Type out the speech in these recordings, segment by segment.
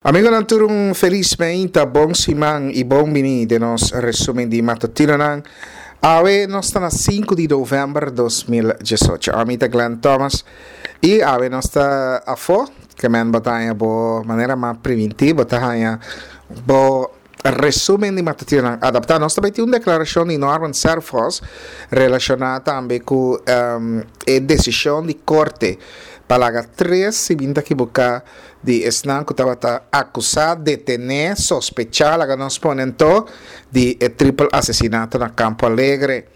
Amigonan tur un felis meinta, bon siman y bon bini den nos resumen di matutinonan. Awe nos ta na 5 di november 2018. Ami ta Glenn Thomas y awe nos ta afo, ke men bo ta haña bo manera ma priminti, bo ta haña bo resumen di matutinonan adapta. Nos ta bai tin un declaracion di Norman Serphos relaciona tambe cu e decision di corte pa laga tres, si mi no ta ekiboca, di esnan ku tabata akusá, detené, sospechá, laga nos pone anto, di e tripel asesinato na Campo Alegre.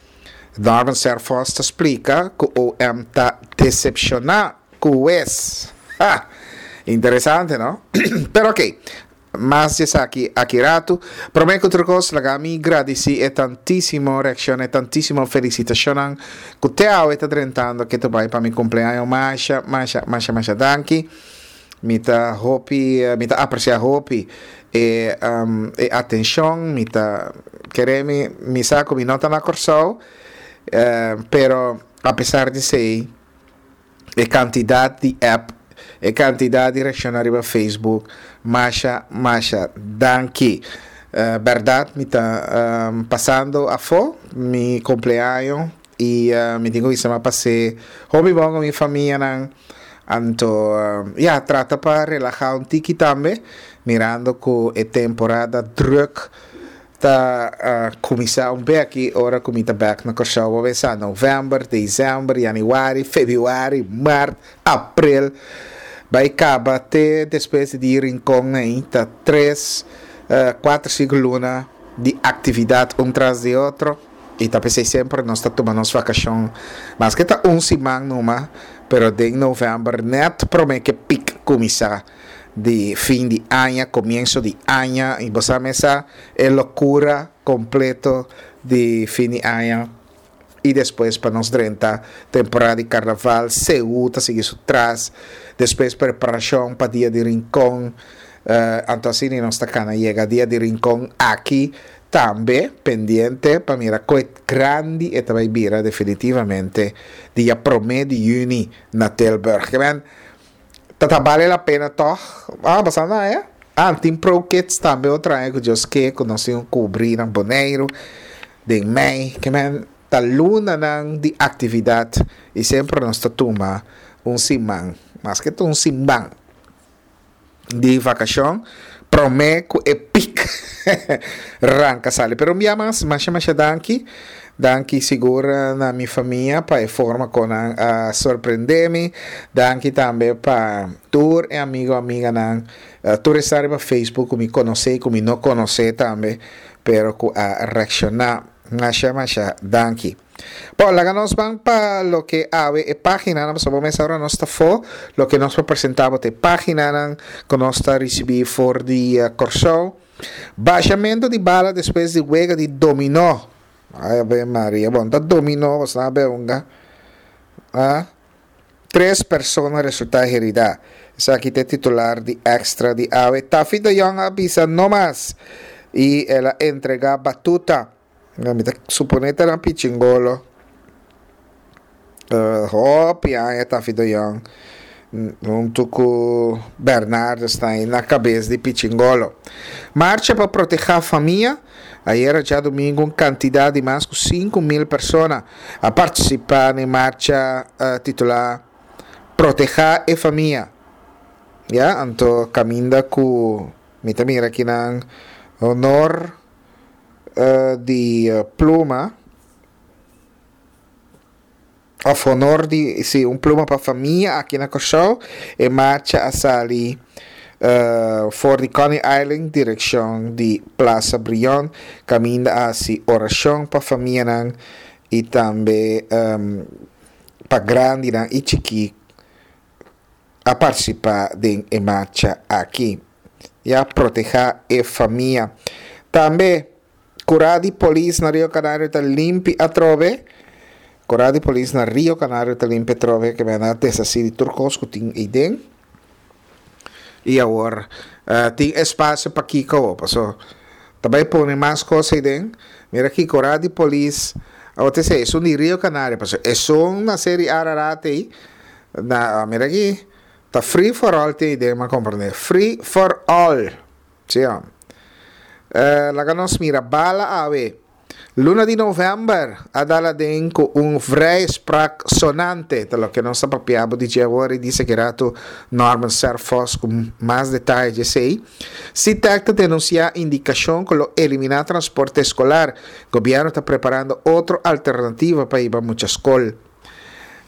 Norman Serphos ta splika ku OM ta desepshoná ku wes. Ha! Interesante, no? Pero oké, mas di esaki aki ratu. Promé ku tur kos, laga mi gradisí e tantísimo reakshon, e tantísimo felisitashonnan ku te awe ta drentando ke ta bai pa mi kumpleaño. Masha, masha, masha, masha danki. Mi ta hopi, mi ta aprecia hopi e e atencion, mi ta kere mi, mi sa cu mi no ta na Corsou, pero a pesar di esey e cantidad di app, e cantidad di reacciona riba Facebook, masha, masha danki. Berdad mi ta pasando afo mi cumpleaño y mi tin cu bisa mi a pas'e hopi bon cu mi famianan. Anto, ya, trata pa relahá un tiki tambe, mirando ku e temporada drùk ta kuminsá un bek ora ku mi ta bèk na Kòrsou. Bo pensa novèmber, desèmber, yanüari, febrüari, mart, aprel, bai kaba te despues di di Rincon ei, ta tres, kuater, sinku luna di aktividat un tras di otro. I ta p'esei semper nos ta tuma nos vakashon, maske ta un siman numa, pero den novèmber nèt promé ke pik kuminsá di fin di aña, komienso di aña, i bo sa mesa e lokura kompleto di fin di aña i despues pa nos drenta temporada di karnaval, Seú ta sigui su tras, despues preparashon pa dia di Rincon, anto asina nos ta kana yega dia di Rincon aki. Tambe pendiente pa mira koe grandi e ta bai bira definitivamente dia prome di juni na Tilburg. Ke men ta ta bale la pena tog? Ah, basa na ya? Ah, tin Pro Kids tambe otro aña ku Dios ke ku nos tin kubri na Boneiru den mei. Ke men ta lunanan di aktividat i semper nos ta tuma un siman, maske ta un siman. di vakashon prome ku e pik ranka sali. Pero un bia mas, masha masha danki. Danki sigur na mi famia pa e forma kon nan a sorprende mi. Danki tambe pa tur e amigo amiganan, tur esnan riba Facebook ku mi konosé i ku mi no konosé tambe, pero ku a reakshoná. Masha masha danki. Bon, laga nos ban pa loke awe e paginanan, pasobra bo mes ora nos ta fo, loke nos por presenta bo ta e paginanan ku nos ta risibí for di Kòrsou. Bashamentu di bala despues di wega di dominó. Ay Ave Maria, bon ta dominó bo sa be hunga. Ah, tres persona resultá heridá. Esaki ta e titular di Extra di awe. Taffy de Jong a bisa no mas i el a entregá batuta. Mi ta supone ta na Pichingolo. Hopi aña Taffy de Jong huntu ku Bernardus ta na kabes di Pichingolo. Marcha pa protehá famia. Ayera djadumingu un kantidat di mas ku 5000 persona a partisipá na e marcha titulá Protehá e Famia. Ya, anto kaminda ku mi ta mira kinan honor di pluma of honor di si un pluma pa famia aki na Kòrsou e marcha a sali for di Coney Island direkshon di Plaza Brion kaminda a hasi orashon pa famianan i tambe pa grandinan i chikí a partisipá den e marcha aki. Ya protehá e famia. Tambe, kurá di polis na Rio Canario ta limpi atrobe. Kurá di polis na Rio Canario ta limpi atrobe, ke men a deshasí di tur kos ku tin eiden. I awor tin espasio pa kiko awor, paso ta bai pone mas kos eiden. Mira aki kurá di polis, awor ta esei, esun di Rio Canario, paso esun na Seri Ararat ei. Na, mira aki. Ta free for all tin idea m'a comprende. Free for all. Sí hom. Eh, laga nos mira bala awe. Luna di november a dal aden ku un vrijspraak sonante, ta loke nos ta papia bo di dje awor i di sekerato Norman Serphos ku mas detaye dje esei. Sitek ta denunsiá indikashon ku lo eliminá transporte eskolar. Gobièrnu ta preparando otro alternativa pa hiba mucha skol.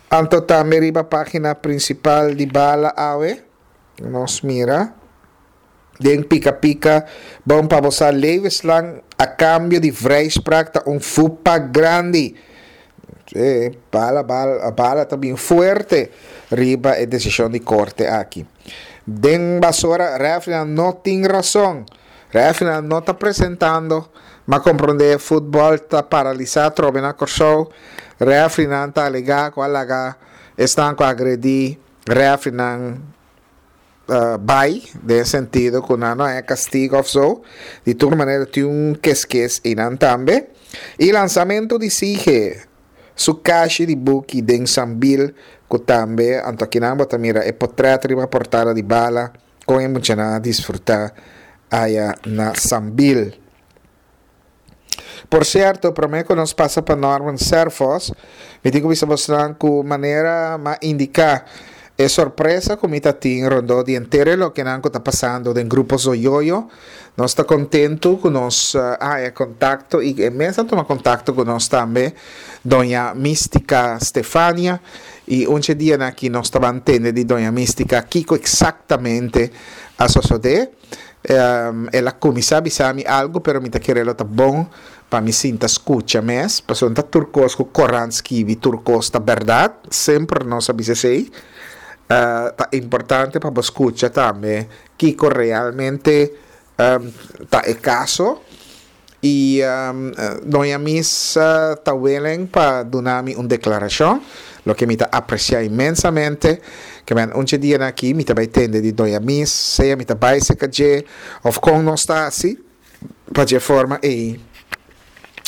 Anto tambe riba página prinsipal di bala awe nos mira. Den pika pika, bon pa bo sa levenslang a cambio di vrijspraak ta un fupa grandi. E bala bala bala ta bin fuerte riba e decision di corte aki. Den basora refrinan no tin rason. Refrinan no ta presentando, ma comprende futbol ta paralisa atrobe na Corsou. Refrinan ta alega cu a laga esnan cu a agredi refrinan bai, den e sentido ku nan no haña kastigo òf so. Di tur manera tin un keskes einan tambe. I lansamentu di Sige su kashi di buki den Sambil ku tambe anto akinan bo ta mira e potrèt riba portada di bala kon e muchanan a disfrutá aya na Sambil. Por cierto, prome cu nos pasa pa Norman Serphos, mi tin cu bisa bosnan cu manera m'a indica e sorpresa cu mi ta tin rondó di henter e lokenan cu ta pasando den Grupo Zoyoyo. Nos ta contento cu nos a haya contacto y e mes a tuma contacto cu nos tambe, Doña Mistica Stefania, y un dje dianan aki nos ta ban tende di Doña Mistica kico exactamente a sosode. El a kuminsá bisa mi algu, pero mi ta kere lo ta bon pa mi sinta skucha mes, pasobra no ta tur kos ku korant skibi, tur kos ta bèrdat, semper nos a bisa esei. Ta importante pa bo skucha tambe kiko realmente ta e kaso. I Doña Miss ta willing pa duna mi un deklarashon, loke mi ta apresiá inmensamente. Ke men un dje dianan aki mi ta bai tende di Doña Miss, sea mi ta bai serka dje òf kon nos ta hasi, pa dje forma ei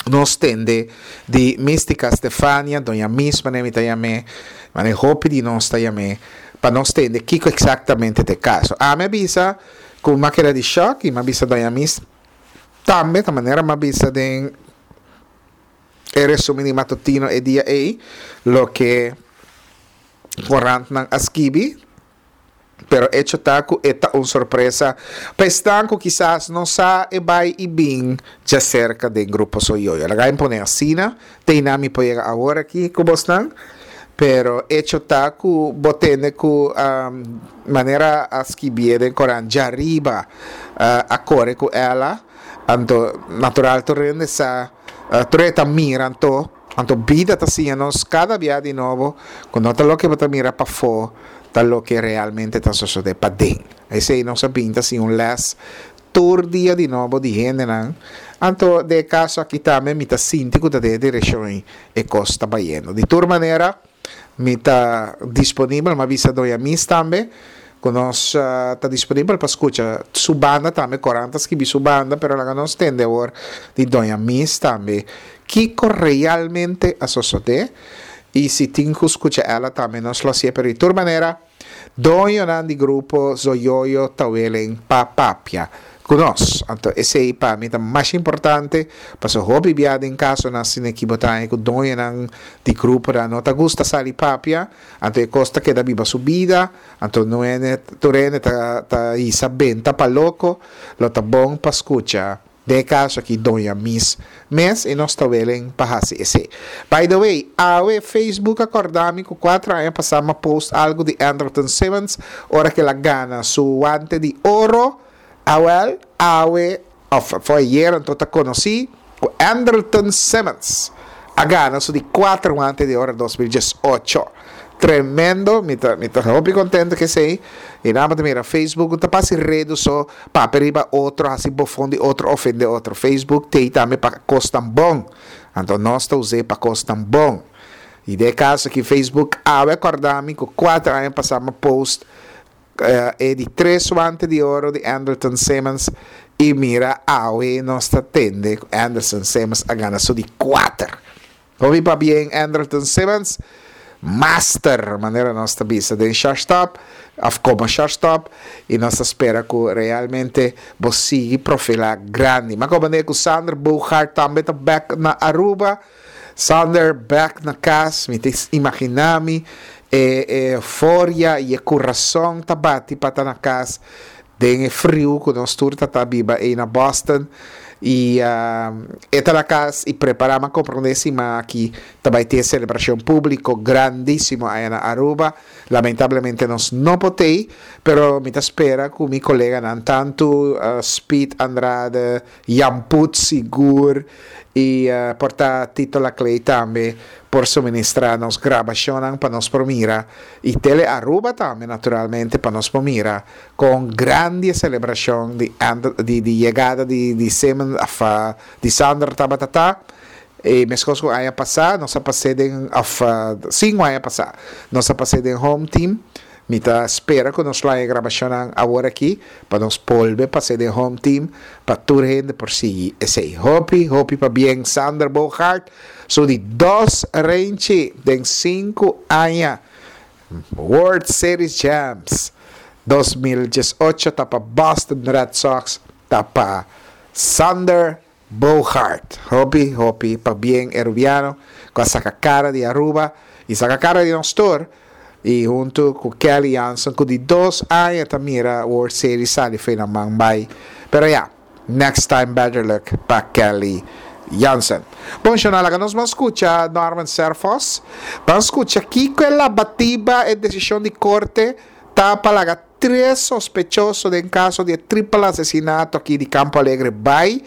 nos tende di Mistica Stefania, Doña Miss manera mi ta yam'é, manera hopi di nos ta yam'é, pa nos tende kiko eksaktamente ta e kaso. Ami a bisa ku mi a keda di shòk i mi a bisa Doña Miss, Tambe ta manera m'a bisa den e resumen di matutino e dia ei, loke korantnan a skibi, pero echo ta ku e ta un sorpresa pa esnan ku kisas no sa e bai i bin djaserka den Grupo Soyoyo. Laga mi pone asina, te einan mi por yega awor aki ku bosnan, pero echo ta ku bo tende ku manera a skibié den korant djariba a kore ku ela, anto natural tur hende sa, tur hende ta mira anto, anto bida ta siña nos kada bia di nobo ku no ta loke bo ta mira pafó ta loke realmente ta sosodé paden. Esei nos a bin ta siña un lès Tur dia di nobo di hendenan. Anto den e kaso aki tambe mi ta sinti ku ta den e direkshon ei e kos ta bayendo. Di tur manera mi ta disponibel, mi a bisa Doña Miss tambe ku nos ta disponibel pa skucha su banda tambe, Koran ta skibi su banda, pero laga nos tende awor di Doña Miss tambe kiko realmente a sosodé i si tin ku skucha ela tambe nos lo hasié, pero di tur manera. Doñonan di grupo Zoyoyo ta welen pa papia ku nos. Anto esei pa mi ta masha importante, pasobra hopi bia den kasonan asina ki bo ta haña ku doñonan di gruponan no ta gusta sali papia, anto e kos ta keda biba su bida, anto no hende tur hende ta ta hisa benta pa loko, lo ta bon pa skucha. Den e kaso aki Doña Miss mes i nos ta welen pa hasi esei. By the way, awe Facebook a kòrda mi ku kuater aña pasá m'a post algu di Andrelton Simmons ora ku el a gana su wante di oro. Awèl, awe òf for ayer anto ta konosí ku Andrelton Simmons a gana su di kuater wante di oro 2018. Tremendo, mi ta mi ta hopi contento cu esey. Y nan bo ta mira Facebook no ta pa haci redu so, papia riba otro, haci bofon di otro, ofende otro. Facebook t'ey tambe pa cosnan bon. Anto nos ta us'e pa cosnan bon. Y den e caso aki Facebook awe a corda mi cu cuater aña pasa mi a post e di tres wante di oro di Andrelton Simmons y mira awe nos ta tende cu Anderson Simmons a gana su di cuater. Hopi pabien Andrelton Simmons. master manera nos ta bisa den shortstop of como shortstop y nos ta spera cu realmente bo sigui profila grandi. M'a comprende cu Sander Bogaert tambe ta back na Aruba. Sander back na cas, mi ta imagina mi e euforia y e curason ta bati pa ta na cas den e friu cu nos tur ta ta biba ey na Boston y e ta na cas y prepara m'a comprende siman aki ta bay tin e celebracion publico grandisimo aya na Aruba. Lamentablemente nos no por t'ey, pero mi ta spera cu mi coleganan tanto Speed Andrade, Jan Put sigur y por ta Tito Laclay tambe por suministra nos grabacionnan pa nos por mira y Tele Aruba tambe naturalmente pa nos por mira con grandi e celebracion di di di yegada di di Simon of di Sander tabata ta. Y mescos cu aña pasa nos a pas'é den of cinco aña pasa nos a pas'é den home team. Mi ta spera cu nos lo haña grabacionnan awor aki pa nos bolbe pas'é den home team pa tur hende por sigui esey. Hopi hopi pabien Sander Bogaert su di dos renchi den cinco aña World Series Champs 2018 ta pa Boston Red Sox ta pa Sander Bogaert, hopi hopi pabien e Rubiano cu a saca cara di Aruba y saca cara di nos tur y hunto cu Kelly Jansen cu di dos aña ta mira World Series sali fe na man bay pero ya next time better luck pa Kelly Jansen. Bon shona laga nos ban scucha Norman Serphos ban scucha kico e labatiba e decision di corte ta pa laga Tres sospechoso den kaso di e tripel asesinato aki di Campo Alegre bai.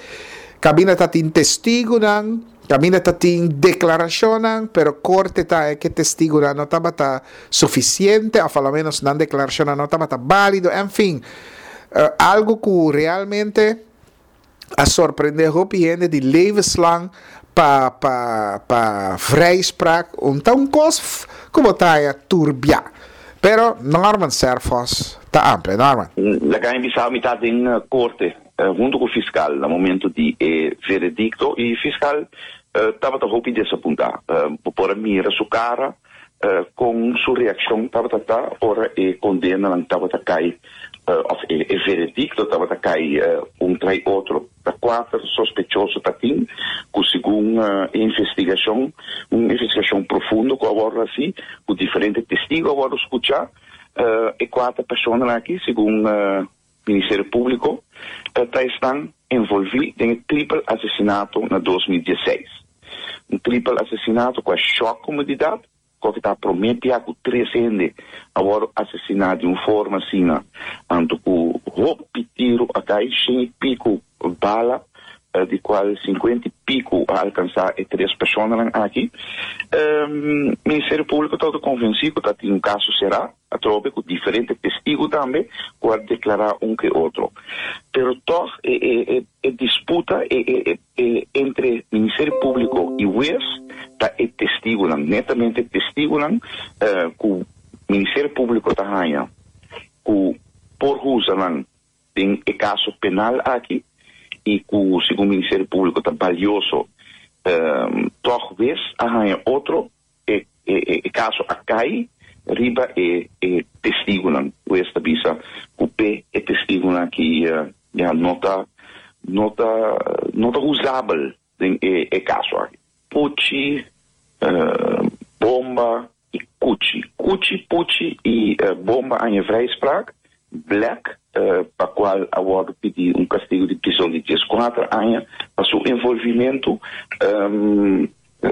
Kaminda ta tin testigunan, kaminda ta tin deklarashonnan, pero korte ta e ke testigunan no tabata sufisiente òf alomenos nan deklarashonnan no tabata bálido, enfin, algu ku realmente a sorprende hopi hende di levenslang pa pa pa vrijspraak un ta un kos ku bo ta haya turbia pero Norman Serphos ta amplia Norman. Laga mi bisa mi ta den korte hunto ku fiskal na momento di e veredikto i fiskal tabata hopi desapuntá. Bo por a mira su kara kon su reakshon tabata ta ora e kondenanan tabata kai òf e veredikto tabata kai un trai otro. Ta kuater sospechoso ta tin ku segun e investigashon, un investigashon profundo ku a wòrdu hasi, ku diferente testigu a wòrdu skuchá, e kuater personanan aki segun Ministerio Públiko ta esnan envolví den e tripel asesinato na 2016. Un tripel asesinato ku a shòk komunidat. Koke ta promé bia ku tres hende a wòrdu asesiná di un forma asina, anto ku hopi tiru a kai, shen i piku bala, di kual sinkuenta i piku a alkansá e tres personanan aki. Ministerio Públiko tabata konvensí ku ta tin un kaso será atrobe ku diferente testigu tambe ku a deklará un ke otro. Pero tòg e disputa, e E entre Ministerio Públiko i hues ta e testigunan, netamente testigunan ku Ministerio Públiko ta haña ku por usa nan den e kaso penal aki i ku segun Ministerio Públiko ta balioso. Tòg hues a haña otro E e kaso a kai riba e e testigunan. Hues ta bisa ku p'e e testigunan aki ya no ta no ta no ta usabel den e e kaso aki. Puchi, bomba i kuchi. Kuchi, puchi i bomba a haña vrijspraak. Black, pa kual a wòrdu pidi un kastigu di prison di dieskuater aña pa su envolvimentu.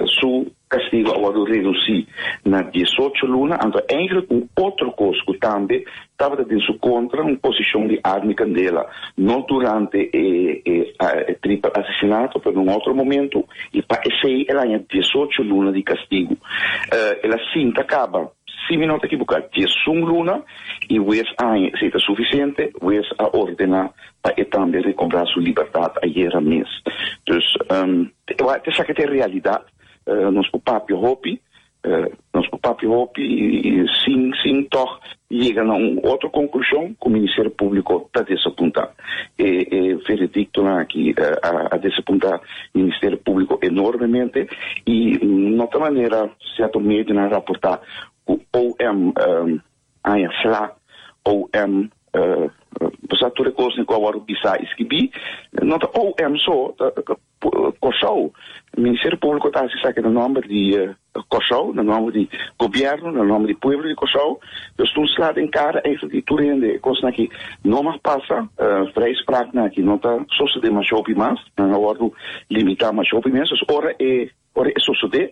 Su castigo a wordo reduci na diesocho luna, anto eigenlijk un otro cos cu tambe tabata den su contra, un posicion di arma y candela, no durante e e triple asesinato, pero na un otro momento, y pa esey el a haña diesocho luna di castigo. El a sinta caba, si mi no ta equiboca, diesun luna, y huez a haña esey ta suficiente, huez a ordena pa e tambe recobrá su libertad ayera mes. Dus, esaki ta e realidad. Nos por papia hopi. Nos por papia hopi i sin sin tòg yega na un otro konklushon ku Ministerio Públiko ta desapuntá. E e verediktonan aki a a desapuntá Ministerio Públiko enormemente i no ta manera sierto medionan a raportá ku OM aña sla, OM pasá tur e kosnan ku a wòrdu bisá i skibí no ta OM so ta Kòrsou. Ministerio Públiko ta hasi esaki na nòmber di Kòrsou, na nòmber di gobièrnu, na nòmber di pueblo di Kòrsou. Dus tur sla den kara eigenlijk di tur hende e kosnan aki no mag pasa. Vrijspraaknan aki no ta sosodé masha hopi mas, nan a wòrdu limitá masha hopi mes. Dus ora e ora e sosodé,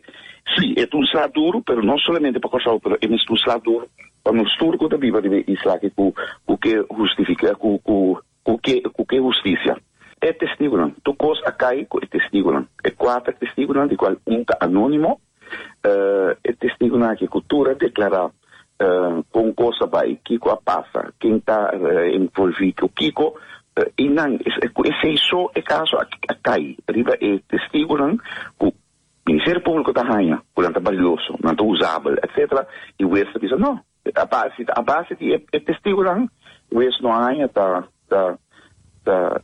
sí, e ta un sla duru, pero no solamente pa Kòrsou, pero e mes ta un sla duru pa nos tur ku ta biba riba e isla aki ku ku ke hustifiká ku ku Ku ke, ku ke hustisia? E testigunan. Tur kos a kai ku e testigunan. E kuater testigunan, di kual un ta anónimo, e testigunan aki ku tur a deklará kon kos a bai, kiko a pasa, ken ta envolví ku kiko, i nan, ku esei so e kaso a kai riba e testigunan ku Ministerio Públiko ta haña ku nan ta balioso, nan ta usabel, etcétera, i hues ta bisa no. A base a base di e testigunan, hues no a haña ta ta ta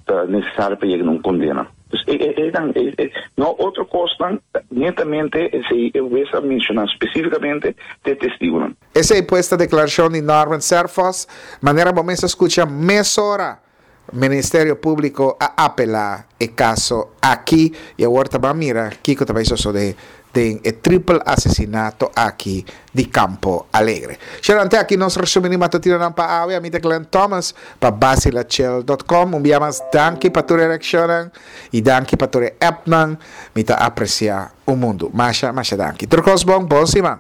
ta nesesario pa yega na un kondena. Dus e e einan e e no otro kosnan, netamente esei e hues a menshoná spesífikamente te testigunan. Esei pues ta deklarashon di Norman Serphos, manera bo mes a skucha mesora. Ministerio Públiko a apelá e kaso aki i awor ta ban mira kiko ta bai sosodé den e tripel asesinato aki di Campo Alegre. Sherante aki nos resumí di matutinonan pa awe. Ami ta Glenn Thomas pa Basilachel dot com. Un bia mas danki pa tur e reakshonnan i danki pa tur e appnan. Mi ta apresiá un mundu. Masha masha danki. Tur kos bon. Bon siman.